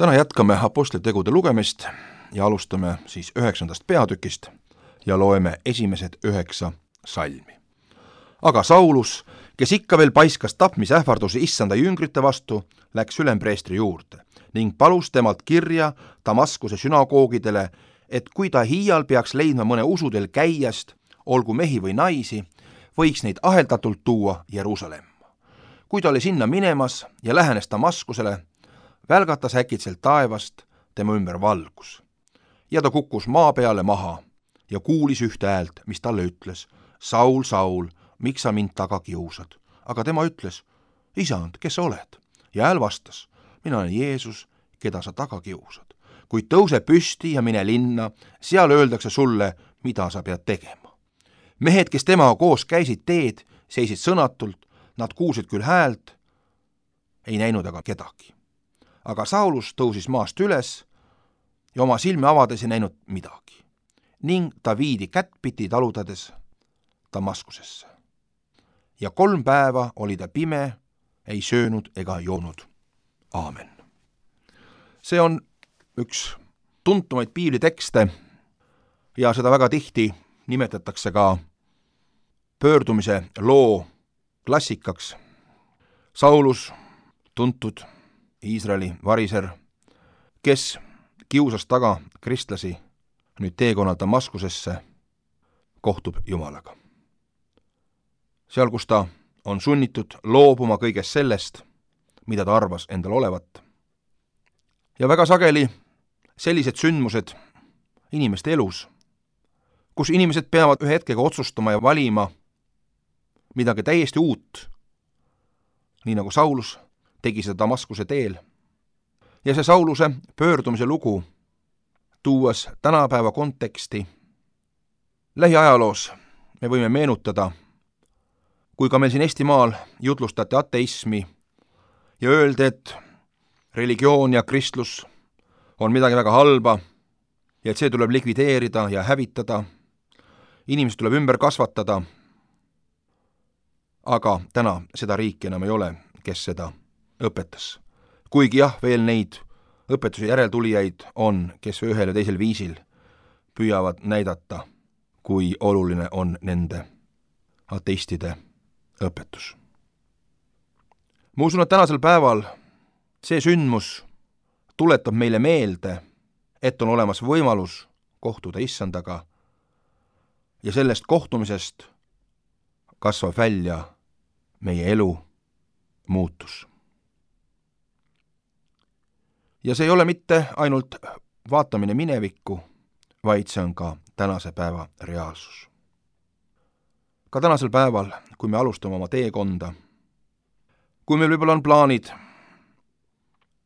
Täna jätkame apostlitegude lugemist ja alustame siis 9. peatükist ja loeme esimesed 9 salmi. Aga Saulus, kes ikka veel paiskas tapmisähvardusi issanda jüngrite vastu, läks ülempreestri juurde ning palus temalt kirja Damaskuse sünagoogidele, et kui ta hiial peaks leidma mõne usudel käijast, olgu mehi või naisi, võiks neid aheldatult tuua Jeruusalemma. Kui ta oli sinna minemas ja lähenes Damaskusele, välgatas äkitselt taevast tema ümber valgus. Ja ta kukkus maa peale maha ja kuulis ühte häält, mis talle ütles: Saul, Saul, miks sa mind taga kiusad? Aga tema ütles: Isand, kes sa oled? Ja hääl vastas: mina olen Jeesus, keda sa taga kiusad. Kuid tõuse püsti ja mine linna, seal öeldakse sulle, mida sa pead tegema. Mehed, kes temaga koos käisid teed, seisid sõnatult, nad kuulsid küll häält, ei näinud aga kedagi. Aga Saulus tõusis maast üles ja oma silme avades ei näinud midagi. Ning ta viidi kättpidi talutades Damaskusesse. Ja 3 päeva oli ta pime, ei söönud ega joonud. Aamen. See on üks tuntumaid piiblitekste ja seda väga tihti nimetatakse ka pöördumise loo klassikaks. Saulus, tuntud Iisraeli variser, kes kiusas taga kristlasi, nüüd teekonnal Damaskusesse, kohtub Jumalaga. Seal, kus ta on sunnitud loobuma kõigest sellest, mida ta arvas endal olevat. Ja väga sageli sellised sündmused inimeste elus, kus inimesed peavad ühe hetkega otsustama ja valima midagi täiesti uut, nii nagu Saulus tegi seda Damaskuse teel. Ja see Sauluse pöördumise lugu, tuues tänapäeva konteksti, lähiajaloos me võime meenutada, kui ka meil siin Eestimaal jutlustati ateismi ja öeldi, et religioon ja kristlus on midagi väga halba ja et see tuleb likvideerida ja hävitada, inimesed tuleb ümber kasvatada, aga täna seda riiki enam ei ole, kes seda õpetas. Kuigi jah, veel neid õpetuse järeltulijaid on, kes ühel ja teisel viisil püüavad näidata, kui oluline on nende ateistide õpetus. Ma usun, et tänasel päeval see sündmus tuletab meile meelde, et on olemas võimalus kohtuda issandaga ja sellest kohtumisest kasvab välja meie elu muutus. Ja see ei ole mitte ainult vaatamine minevikku, vaid see on ka tänase päeva reaalsus. Ka tänasel päeval, kui me alustame oma teekonda, kui meil võib-olla on plaanid,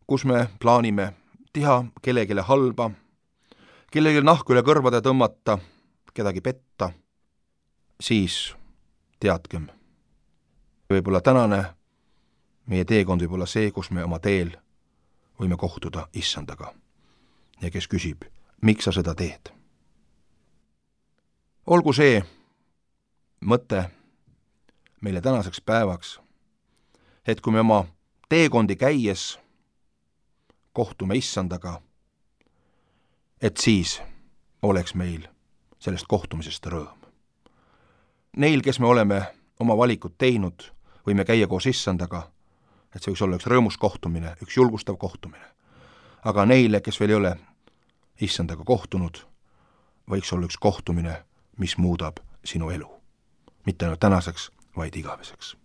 kus me plaanime teha kellelegi halba, kellelegi nahku üle kõrvade tõmmata, kedagi petta, siis teadkem, võib-olla tänane meie teekond võib olla see, kus me oma teel võime kohtuda issandaga ja kes küsib, miks sa seda teed. Olgu see mõte meile tänaseks päevaks, et kui me oma teekondi käies kohtume issandaga, et siis oleks meil sellest kohtumisest rõõm. Neil, kes me oleme oma valikud teinud, võime käia koos issandaga, et see võiks olla üks rõõmus kohtumine, üks julgustav kohtumine. Aga neile, kes veel ei ole issandaga kohtunud, võiks olla üks kohtumine, mis muudab sinu elu. Mitte ainult tänaseks, vaid igaveseks.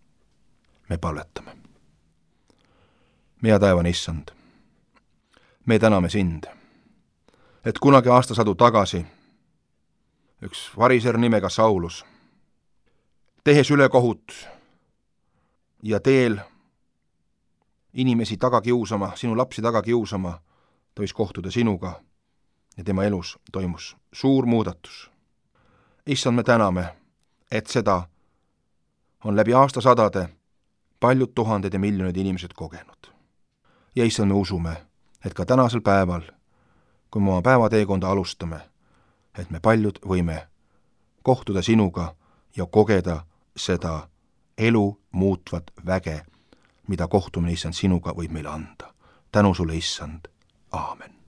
Me palvetame. Meie taevane issand, me täname sind, et kunagi aastasadu tagasi üks variser nimega Saulus, tehes ülekohut ja teel inimesi taga kiusama, sinu lapsi taga kiusama, ta võis kohtuda sinuga ja tema elus toimus suur muudatus. Issand, me täname, et seda on läbi aastasadade paljud tuhanded ja miljonid inimesed kogenud. Ja issand, me usume, et ka tänasel päeval, kui me oma päevateekonda alustame, et me paljud võime kohtuda sinuga ja kogeda seda elu muutvat väge, mida kohtumine issand sinuga võib meile anda. Tänu sulle, issand. aamen.